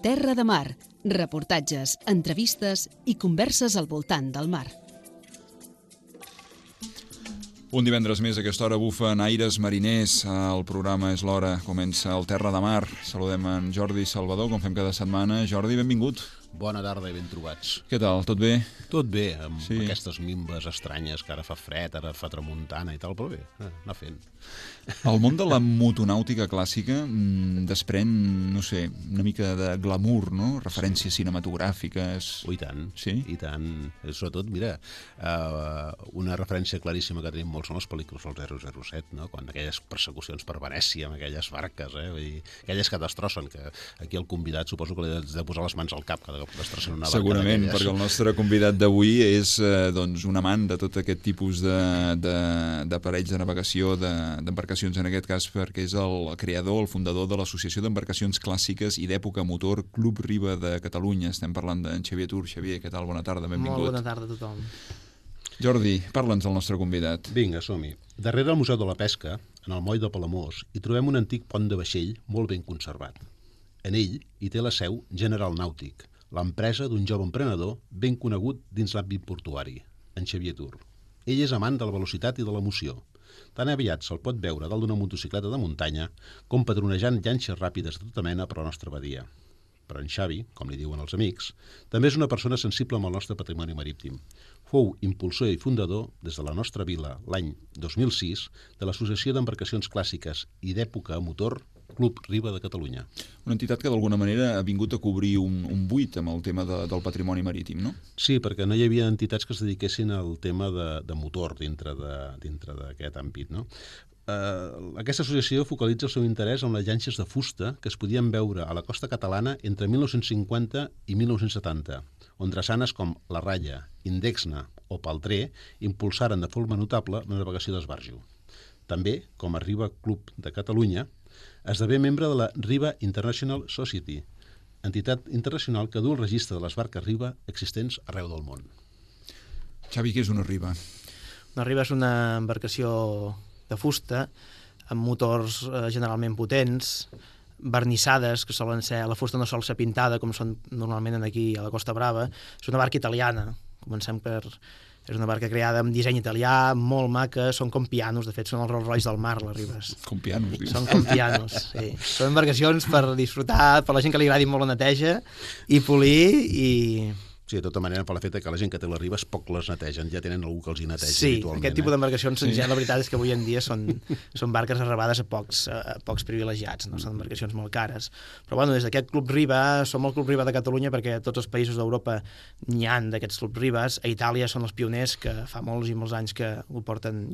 Terra de mar, reportatges, entrevistes i converses al voltant del mar. Un divendres més a aquesta hora bufen aires mariners. El programa És l'hora, comença el Terra de Mar. Saludem en Jordi Salvador, com fem cada setmana. Jordi, benvingut. Bona tarda i ben trobats. Què tal, tot bé? Tot bé, amb aquestes mimbes estranyes, que ara fa fred, ara fa tramuntana i tal, però bé, anar fent. El món de la motonàutica clàssica desprèn, no sé, una mica de glamour, no? Referències cinematogràfiques... I tant, sí? I tant. Sobretot, mira, una referència claríssima que tenim molt són les pel·lícules del 007, no? Quan aquelles persecucions per Venècia, amb aquelles barques, vull dir, aquelles que destrossen, que aquí el convidat suposo que li has de posar les mans al cap cada cop que destrossen una barca. Segurament, perquè el nostre convidat d'avui és un amant de tot aquest tipus d'aparells de navegació, d'embarcacions en aquest cas, perquè és el creador, el fundador de l'Associació d'Embarcacions Clàssiques i d'Època Motor Club Riba de Catalunya. Estem parlant d'en Xavier Tur. Xavier, què tal? Bona tarda, benvingut. Molt bona tarda a tothom. Jordi, parla'ns del nostre convidat. Vinga, som-hi. Darrere el Museu de la Pesca, en el moll de Palamós, hi trobem un antic pont de vaixell molt ben conservat. En ell hi té la seu General Nàutic, l'empresa d'un jove emprenedor ben conegut dins l'àmbit portuari, en Xavier Tur. Ell és amant de la velocitat i de l'emoció. Tan aviat se'l pot veure dalt d'una motocicleta de muntanya com patronejant llanxes ràpides de tota mena per la nostra badia. Però en Xavi, com li diuen els amics, també és una persona sensible amb el nostre patrimoni marítim. Fou impulsor i fundador, des de la nostra vila, l'any 2006, de l'Associació d'Embarcacions Clàssiques i d'Època a Motor Club Riba de Catalunya. Una entitat que d'alguna manera ha vingut a cobrir un buit amb el tema del patrimoni marítim, no? Sí, perquè no hi havia entitats que es dediquessin al tema de motor dintre d'aquest àmbit, no? Aquesta associació focalitza el seu interès en les llanxes de fusta que es podien veure a la costa catalana entre 1950 i 1970, on drassanes com la Ralla, Indexna o Paltré impulsaren de forma notable la navegació d'esbarjo. També, com a Riba Club de Catalunya, esdevé membre de la Riba International Society, entitat internacional que du el registre de les barques riba existents arreu del món. Xavi, què és una riba? Una riba és una embarcació de fusta, amb motors generalment potents, vernissades, que solen ser... La fusta no sol ser pintada, com són normalment aquí a la Costa Brava. És una barca italiana. Comencem per... És una barca creada amb disseny italià, molt maca, són com pianos, de fet són els Rolls Royce del mar, les ribes. Com pianos, dius? Són com pianos, sí. Són embarcacions per disfrutar, per la gent que li agradi molt la neteja, i polir, i... Sí, de tota manera, per la feta que la gent que té les ribes poc les netegen, ja tenen algú que els hi neteja Sí, habitualment. aquest tipus d'embarcacions, ja la veritat és que avui en dia són barques arrabades a pocs privilegiats, no? Són embarcacions molt cares. Però bueno, des d'aquest Club Riba, som el Club Riba de Catalunya perquè tots els països d'Europa n'hi han d'aquests Club Ribes. A Itàlia són els pioners, que fa molts i molts anys que ho porten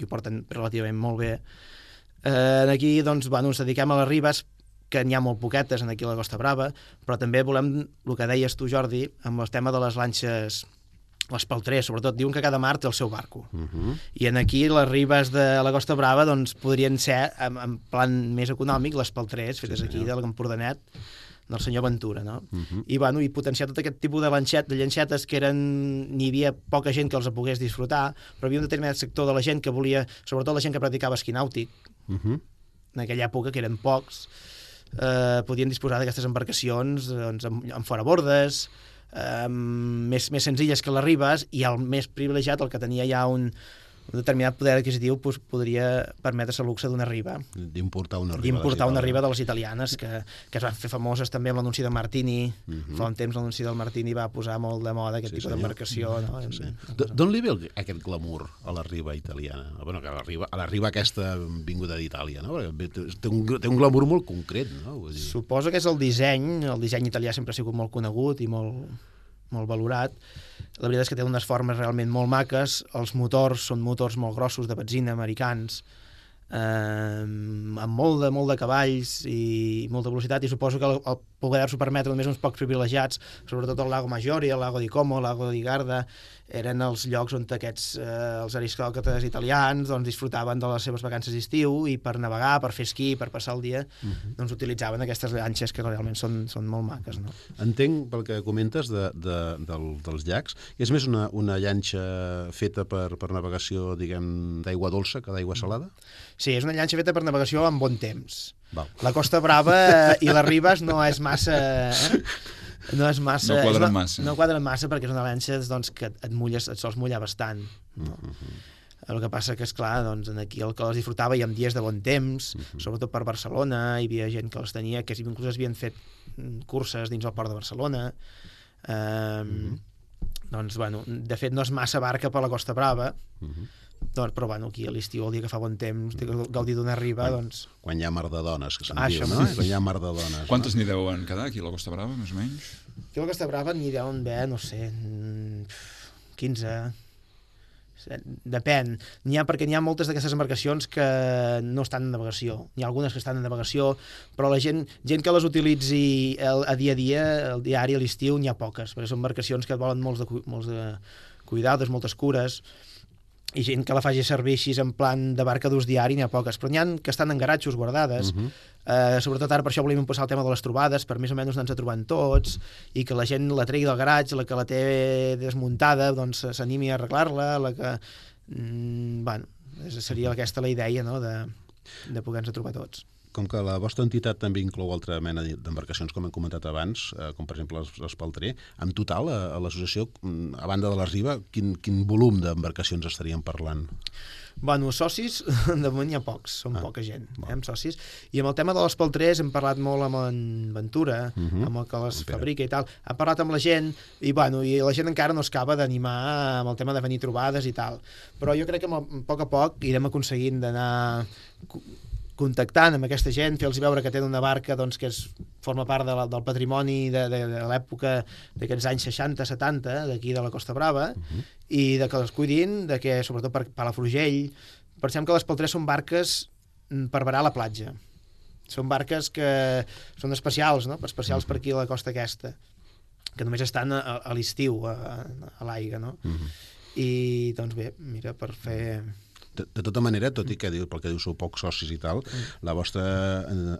relativament molt bé. Aquí, doncs, bueno, ens dediquem a les ribes, que n'hi ha molt poquetes aquí a la Costa Brava, però també volem, el que deies tu, Jordi, amb el tema de les lanxes, les paltrers, sobretot, diuen que cada mar té el seu barco. I en aquí les ribes de la Costa Brava doncs, podrien ser, en plan més econòmic, les paltrers, fetes aquí de l'Empordanet, del senyor Ventura, no? I potenciar tot aquest tipus de llanxetes que n'hi havia poca gent que els pogués disfrutar, però hi havia un determinat sector de la gent que volia, sobretot la gent que practicava esquí nàutic, en aquella època, que eren pocs, podien disposar d'aquestes embarcacions amb forabordes, més senzilles que les ribes, i el més privilegiat, el que tenia ja un determinat poder adquisitiu, podria permetre's el luxe d'una riba. D'importar una riba de les italianes, que es van fer famoses també amb l'anunci de Martini. Fa un temps l'anunci del Martini va posar molt de moda aquest tipus d'embarcació. D'on li ve aquest glamour a la riba italiana? Bueno, a la riba aquesta vinguda d'Itàlia, no? Té un glamour molt concret, no? Suposo que és el disseny italià sempre ha sigut molt conegut i molt valorat. La veritat és que té unes formes realment molt maques, els motors són motors molt grossos de benzina americans, amb molt de cavalls i molta velocitat, i suposo que el poder-s'ho permetre només uns pocs privilegiats, sobretot el Lago Maggiore, el Lago di Como, el Lago di Garda, eren els llocs on aquests els aristòcrates italians doncs, disfrutaven de les seves vacances d'estiu, i per navegar, per fer esquí, per passar el dia, doncs utilitzaven aquestes llanxes que realment són molt maques, no? Entenc, pel que comentes dels llacs, és més una llanxa feta per navegació, diguem, d'aigua dolça que d'aigua salada? Sí, és una llanxa feta per navegació amb bon temps. Val. La Costa Brava i les Ribes no és massa... No és massa... No quadren massa. No quadren massa perquè és una llanxa doncs, que et sols mullar bastant. No? El que passa que, esclar, doncs, aquí el que les disfrutava i amb dies de bon temps, sobretot per Barcelona, hi havia gent que les tenia, que inclús havien fet curses dins el port de Barcelona. Doncs, bueno, de fet no és massa barca per la Costa Brava, doncs, però bueno, aquí a l'estiu, el dia que fa bon temps, gaudir d'una riba, doncs... Quan hi ha mar de dones, que se'n Ah, diu, això no? mateix. Quan hi ha mar de dones. Quantes n'hi deuen quedar aquí a la Costa Brava, més o menys? Aquí a la Costa Brava n'hi deuen haver, no sé, 15... Depèn. Perquè n'hi ha moltes d'aquestes embarcacions que no estan en navegació. N'hi ha algunes que estan en navegació, però la gent que les utilitzi a dia, el diari, a l'estiu, n'hi ha poques, perquè són embarcacions que et volen molts de cuidados, moltes cures, i gent que la faci servir així en plan de barca d'ús diari n'hi ha poques, però n'hi ha que estan en garatxos guardades, sobretot ara per això volíem impulsar el tema de les trobades, per més o menys anar-nos trobant tots, i que la gent la tregui del garatge, la que la té desmuntada doncs s'animi a arreglar-la, la que... bueno, seria aquesta la idea, no?, de poder-nos trobar tots. Com que la vostra entitat també inclou altra mena d'embarcacions, com hem comentat abans, com per exemple l'Espaltrer, en total, a l'associació, a banda de la Riba, quin volum d'embarcacions estaríem parlant? Bueno, socis, de moment hi ha pocs, són poca gent, amb socis. I amb el tema de l'Espaltrers hem parlat molt amb en Ventura, amb el que les fabrica i tal. Ha parlat amb la gent i, bueno, i la gent encara no es acaba d'animar amb el tema de venir trobades i tal. Però jo crec que a poc irem aconseguint d'anar contactant amb aquesta gent, fer-los veure que tenen una barca doncs, que forma part del patrimoni de l'època d'aquests anys 60-70 d'aquí de la Costa Brava, i de que les cuidin, de que, sobretot per Palafrugell, pensem que les Peltres són barques per varar a la platja. Són barques que són especials, no? Especials per aquí a la costa aquesta, que només estan a l'estiu, a l'aigua, no? I, doncs bé, mira, per fer... De tota manera, tot i que pel que diu sou pocs socis i tal, la vostra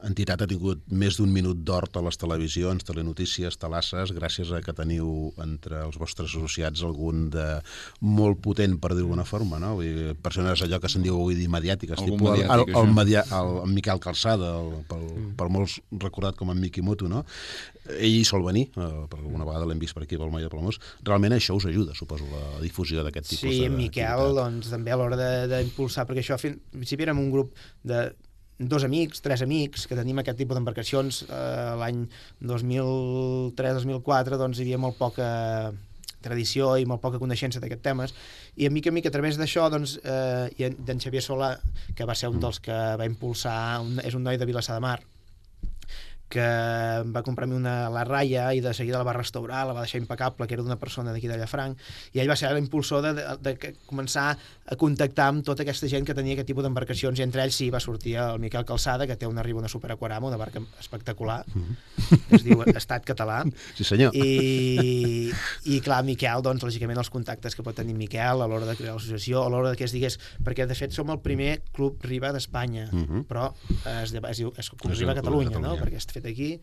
entitat ha tingut més d'1 minut d'or a les televisions, telenotícies, talasses, gràcies a que teniu entre els vostres associats algun de molt potent, per dir d'alguna forma, no? Vull dir, persones allò que se'n diu avui dir mediàtiques, tipus el Miquel Calçada, per molts recordat com en Miki Moto, no? Ell sol venir, per alguna vegada l'hem vist per aquí, pel Moll de Palamós. Realment això us ajuda, suposo, la difusió d'aquest tipus de... Sí, en Miquel, doncs, també a l'hora d'impulsar, perquè això, en principi érem un grup de 2 amics, 3 amics, que tenim aquest tipus d'embarcacions. L'any 2003-2004, doncs, hi havia molt poca tradició i molt poca coneixença d'aquests temes, i a mica a través d'això, doncs, i d'en Xavier Solà, que va ser un dels que va impulsar, és un noi de Vilassar de Mar, que va comprar-me la ratlla i de seguida la va restaurar, la va deixar impecable, que era d'una persona d'aquí de Llafranc, i ell va ser l'impulsor de començar a contactar amb tota aquesta gent que tenia aquest tipus d'embarcacions, i entre ells sí va sortir el Miquel Calçada, que té una Riba, una Super Aquarama, una barca espectacular, que es diu Estat Català. Sí, senyor. I clar, Miquel, doncs, lògicament els contactes que pot tenir Miquel a l'hora de crear l'associació, a l'hora que es digués, perquè de fet som el primer club Riba d'Espanya, però es diu Club Riba Catalunya, no? Perquè és fet aquí,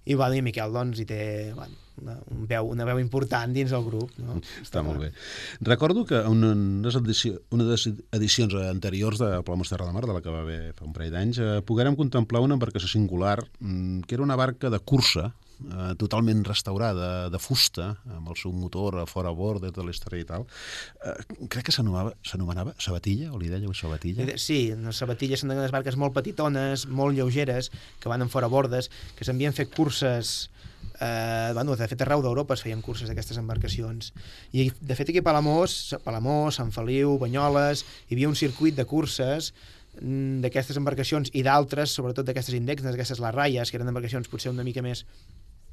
i bueno, i Miquel doncs hi té una veu important dins el grup, no? Està molt bé. Recordo que una de les edicions anteriors de Palamós Terra de Mar, de la que va haver fa un parell d'anys, poguérem contemplar una embarcació singular, que era una barca de cursa, totalment restaurada, de fusta, amb el seu motor a fora a bord, de tota la història i tal. Crec que s'anomenava Sabatilla, o li dèieu Sabatilla? Sí, les Sabatilles són unes barques molt petitones, molt lleugeres, que van en fora bordes, que s'havien fet curses, de fet arreu d'Europa es feien curses d'aquestes embarcacions, i de fet aquí a Palamós, Sant Feliu, Banyoles, hi havia un circuit de curses d'aquestes embarcacions i d'altres, sobretot d'aquestes indexes, d'aquestes les ratlles, que eren embarcacions potser una mica més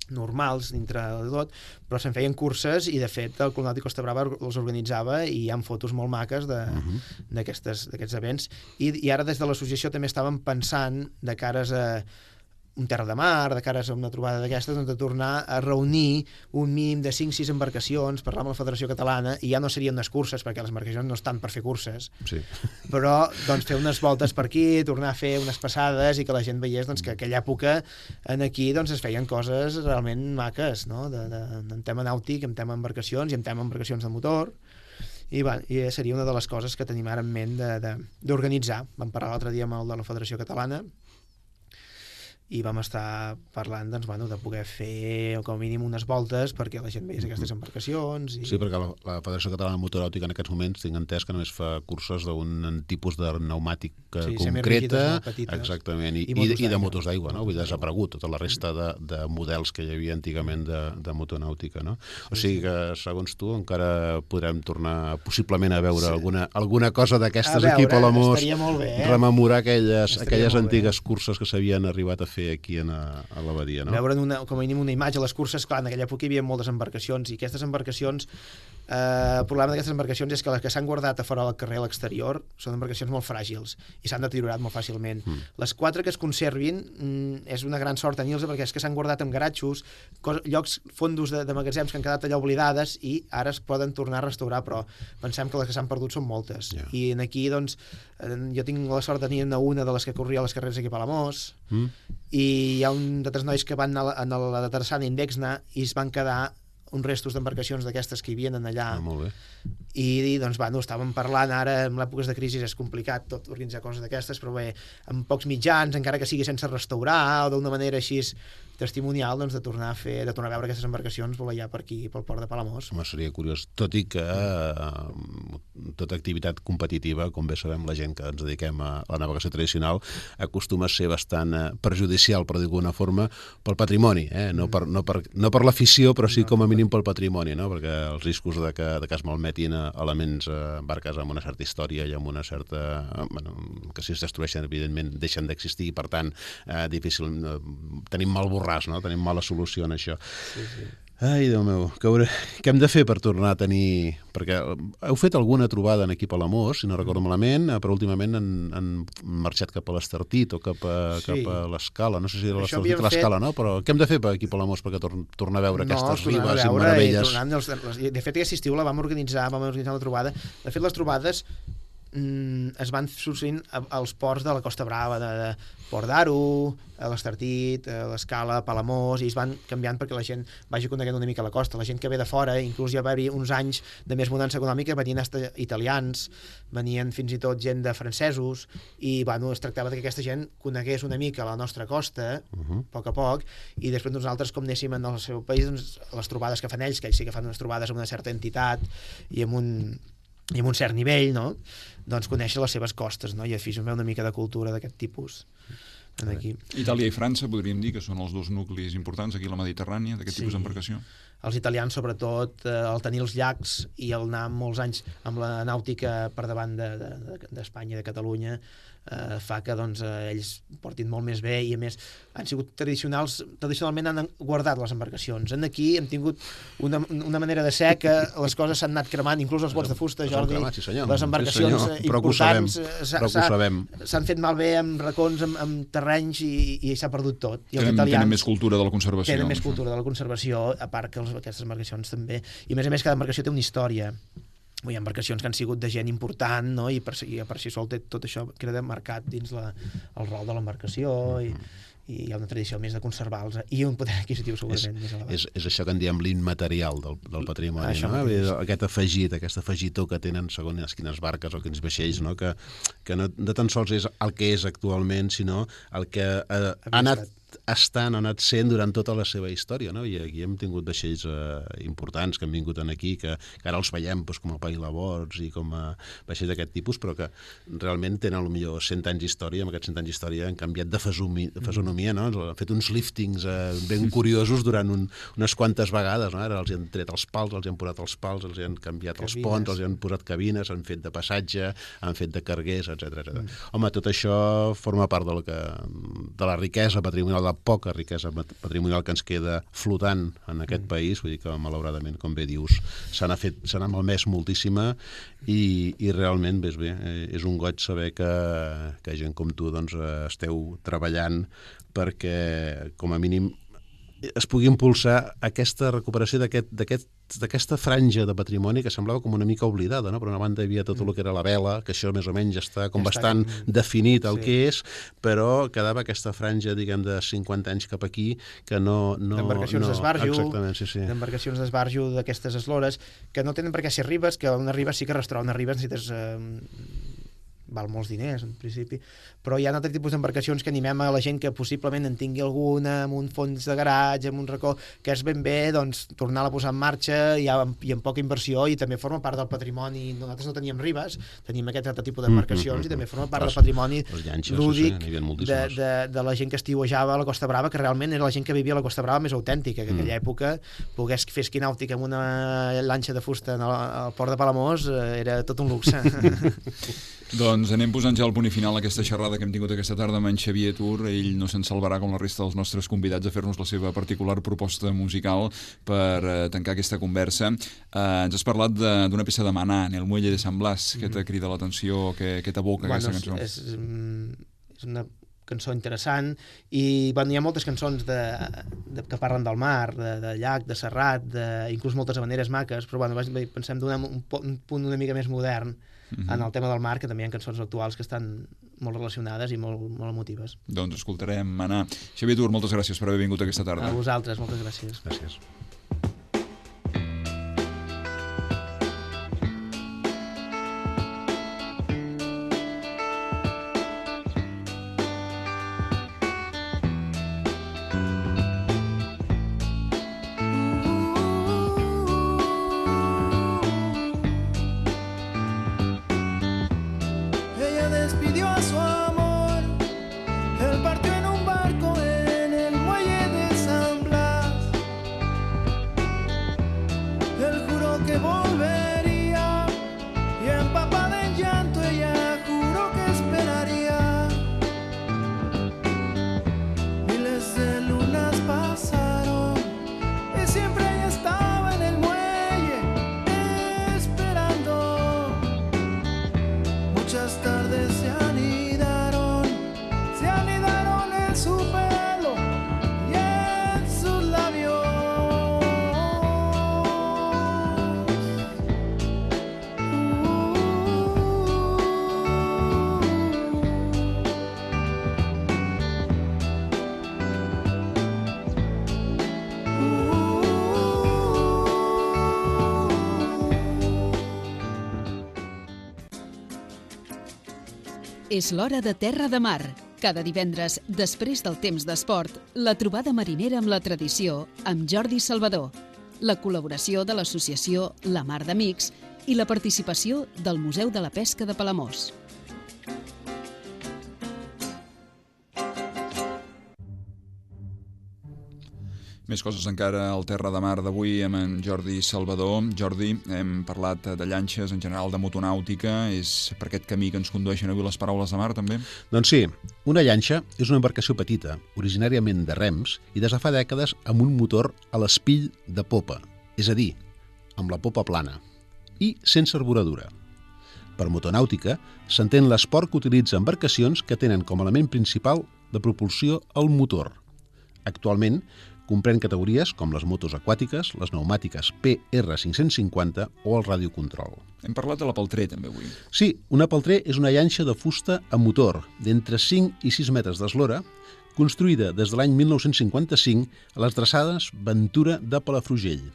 normals dintre de tot, però se'n feien curses, i de fet el Club Nàutic Costa Brava els organitzava, i hi ha fotos molt maques d'aquests events, i ara des de l'associació també estàvem pensant de cares a un terra de mar, de cares a una trobada d'aquestes, doncs de tornar a reunir un mínim de 5-6 embarcacions, parlar amb la Federació Catalana, i ja no serien unes curses, perquè les embarcacions no estan per fer curses, sí, però doncs fer unes voltes per aquí, tornar a fer unes passades, i que la gent veiés doncs, que aquella època aquí doncs, es feien coses realment maques, no? En tema nàutic, en tema embarcacions i en tema embarcacions de motor. I seria una de les coses que tenim ara en ment d'organitzar. Vam parlar l'altre dia amb el de la Federació Catalana i vam estar parlant de poder fer com a mínim unes voltes perquè la gent veiés aquestes embarcacions. Sí, perquè la Federació Catalana de Motoràutica en aquests moments tinc entès que només fa curses d'un tipus de pneumàtic concreta, exactament, i de motors d'aigua, no? Vull dir, desaparegut tota la resta de models que hi havia antigament de motonàutica, no? O sigui que, segons tu, encara podrem tornar possiblement a veure alguna cosa d'aquestes aquí a Palamós, rememorar aquelles antigues curses que s'havien arribat a fer aquí a l'abadia, no? Veure com a mínim una imatge. Les curses, clar, en aquella època hi havia moltes embarcacions i aquestes embarcacions, el problema d'aquestes embarcacions és que les que s'han guardat a fora del carrer a l'exterior són embarcacions molt fràgils i s'han deteriorat molt fàcilment. Les 4 que es conservin és una gran sort tenir-les perquè és que s'han guardat en garatxos, llocs, fondos de magatzems que han quedat allà oblidades i ara es poden tornar a restaurar, però pensem que les que s'han perdut són moltes. I aquí, doncs, jo tinc la sort de tenir una de les que corria a les carreres aquí a Palamós i hi ha un d'altres nois que van a la de Terçana Indexna i es van quedar uns restos d'embarcacions d'aquestes que hi havien allà. Molt bé. I doncs, estàvem parlant ara, en èpoques de crisi és complicat tot organitzar coses d'aquestes, però bé, amb pocs mitjans, encara que sigui sense restaurar o d'una manera així testimonial, doncs, de tornar a veure aquestes embarcacions volar per aquí, pel port de Palamós. Home, seria curiós, tot i que tota activitat competitiva, com bé sabem, la gent que ens dediquem a la navegació tradicional acostuma a ser bastant perjudicial, per dir d'alguna forma, pel patrimoni, no per l'afició, però sí com a mínim pel patrimoni, no? Perquè els riscos de que es malmetin elements, barques amb una certa història i amb una certa... que si es destrueixen, evidentment, deixen d'existir i, per tant, difícil... tenim mal borràs, no? Tenim mala solució en això. Sí. Ai, Déu meu, què hem de fer per tornar a tenir... Perquè heu fet alguna trobada en aquí a Palamós, si no recordo malament, però últimament han marxat cap a l'Estartit o cap a l'Escala, no sé si era l'Estartit o l'Escala, no? Però què hem de fer aquí a Palamós perquè tornar a veure aquestes ribes i meravelles? De fet, aquest estiu la vam organitzar la trobada. De fet, les trobades es van sorgint als ports de la Costa Brava, de Port d'Aro, a l'Estartit, a l'Escala, a Palamós, i es van canviant perquè la gent vagi coneguent una mica la costa. La gent que ve de fora, inclús ja va haver uns anys de més bonança econòmica, venien italians, venien fins i tot gent de francesos, i es tractava que aquesta gent conegués una mica la nostra costa, a poc, i després nosaltres, com anéssim en el seu país, les trobades que fan ells, que ells sí que fan unes trobades amb una certa entitat i amb un cert nivell, no? Doncs conèixer les seves costes, no? I aficionar una mica de cultura d'aquest tipus aquí. Itàlia i França podríem dir que són els dos nuclis importants aquí a la Mediterrània d'aquest tipus d'embarcació. Els italians, sobretot, el tenir els llacs i el anar molts anys amb la nàutica per davant d'Espanya i de Catalunya fa que ells portin molt més bé i, a més, han sigut tradicionalment han guardat les embarcacions. Aquí hem tingut una manera de ser que les coses s'han anat cremant, inclús els bots de fusta, Jordi, les embarcacions importants s'han fet malbé amb racons, amb terrenys i s'ha perdut tot. Tenen més cultura de la conservació. Tenen més cultura de la conservació, a part que aquestes embarcacions també. I, a més, cada embarcació té una història. Hi ha embarcacions que han sigut de gent important, no? I per si sol tot això queda marcat dins el rol de l'embarcació i hi ha una tradició més de conservar-los i un poder adquisitiu segurament més elevat. És això que en diem l'immaterial del patrimoni, no? Aquest afegit, aquest afegitor que tenen segons quines barques o quins vaixells, no? Que no tan sols és el que és actualment, sinó el que ha anat anat sent durant tota la seva història, no? I aquí hem tingut vaixells importants que han vingut aquí, que ara els veiem com a pailabords i com a vaixells d'aquest tipus, però que realment tenen potser 100 anys d'història, amb aquests 100 anys d'història han canviat de fesonomia, no? Han fet uns liftings ben curiosos durant unes quantes vegades, no? Ara els han tret els pals, els han posat els pals, els han canviat els ponts, els han posat cabines, han fet de passatge, han fet de carguers, etc. Home, tot això forma part de la riquesa patrimonial, de la poca riquesa patrimonial que ens queda flotant en aquest país, vull dir que malauradament, com bé dius, se n'ha malmès moltíssima i realment, bé, és un goig saber que gent com tu esteu treballant perquè, com a mínim, es pugui impulsar aquesta recuperació d'aquesta franja de patrimoni que semblava com una mica oblidada, no? Per una banda hi havia tot el que era la vela, que això més o menys està com bastant definit el que és, però quedava aquesta franja, diguem, de 50 anys cap aquí, que no... D'embarcacions d'esbarjo, exactament, sí. D'embarcacions d'esbarjo d'aquestes eslores, que no tenen per què ser ribes, que una riba sí que restaurar una riba necessites... val molts diners, en principi, però hi ha altres tipus d'embarcacions que animem a la gent que possiblement en tingui alguna, amb un fons de garatge, amb un racó, que és ben bé, doncs, tornar-la a posar en marxa i amb poca inversió, i també forma part del patrimoni. Nosaltres no teníem ribes, tenim aquest altre tipus d'embarcacions, i també forma part del patrimoni lúdic de la gent que estiuejava a la Costa Brava, que realment era la gent que vivia a la Costa Brava més autèntica, que en aquella època pogués fer esquí nàutic amb una lanxa de fusta al port de Palamós era tot un luxe. Doncs anem posant ja el punt i final a aquesta xerrada que hem tingut aquesta tarda amb en Xavier Tur. Ell no se'n salvarà com la resta dels nostres convidats a fer-nos la seva particular proposta musical per tancar aquesta conversa. Ens has parlat d'una peça de Maná, en el Muelle de San Blas, que t'ha cridat l'atenció, que t'evoca aquesta cançó. És una cançó interessant i hi ha moltes cançons que parlen del mar, de llac, de serrat, inclús moltes habaneres maques, però pensem donar un punt una mica més modern en el tema del mar, que també hi ha cançons actuals que estan molt relacionades i molt emotives. Doncs escoltarem Maná. Xavier Tur, moltes gràcies per haver vingut aquesta tarda. A vosaltres, moltes gràcies. Gràcies. És l'hora de Terra de Mar. Cada divendres, després del temps d'esport, la trobada marinera amb la tradició amb Jordi Salvador, la col·laboració de l'associació La Mar d'Amics i la participació del Museu de la Pesca de Palamós. Més coses encara al Terra de Mar d'avui amb en Jordi Salvador. Jordi, hem parlat de llanxes, en general de motonàutica. És per aquest camí que ens condueixen avui les paraules de mar, també? Doncs sí, una llanxa és una embarcació petita, originàriament de rems, i des de fa dècades amb un motor a l'espill de popa, és a dir, amb la popa plana, i sense arboradura. Per motonàutica s'entén l'esport que utilitza embarcacions que tenen com a element principal de propulsió el motor. Actualment, comprèn categories com les motos aquàtiques, les pneumàtiques PR550 o el radiocontrol. Hem parlat de la Peltré, també, avui. Sí, una Peltré és una llanxa de fusta amb motor d'entre 5 i 6 metres d'eslora, construïda des de l'any 1955 a les traçades Ventura de Palafrugell.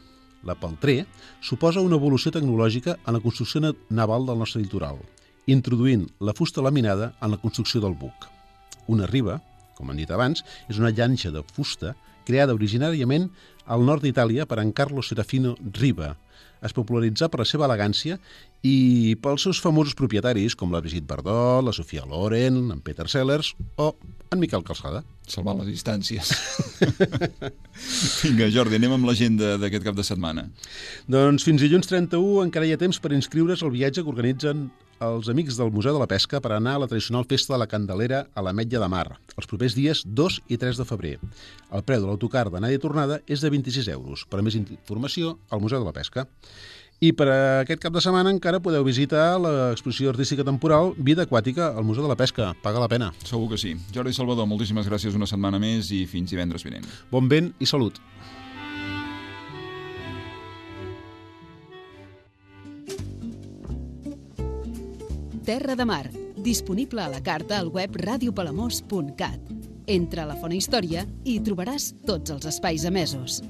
La Peltré suposa una evolució tecnològica en la construcció naval del nostre litoral, introduint la fusta laminada en la construcció del buc. Una riba, com hem dit abans, és una llanxa de fusta creada originàriament al nord d'Itàlia per en Carlo Serafino Riva. Es popularitzà per la seva elegància i pels seus famosos propietaris com la Brigitte Bardot, la Sofia Loren, en Peter Sellers o en Miquel Calçada. Salvar les distàncies. Vinga, Jordi, anem amb l'agenda d'aquest cap de setmana. Doncs fins dilluns 31 encara hi ha temps per inscriure's al viatge que organitzen els amics del Museu de la Pesca per anar a la tradicional festa de la Candelera a l'Ametlla de Mar, els propers dies 2 i 3 de febrer. El preu de l'autocar d'anada i tornada és de 26 euros. Per a més informació, al Museu de la Pesca. I per aquest cap de setmana encara podeu visitar l'exposició artística temporal Vida Aquàtica al Museu de la Pesca. Paga la pena. Segur que sí. Jordi Salvador, moltíssimes gràcies una setmana més i fins divendres vinent. Bon vent i salut. Terra de Mar, disponible a la carta al web radiopalamós.cat. Entra a la Font Història i hi trobaràs tots els espais emesos.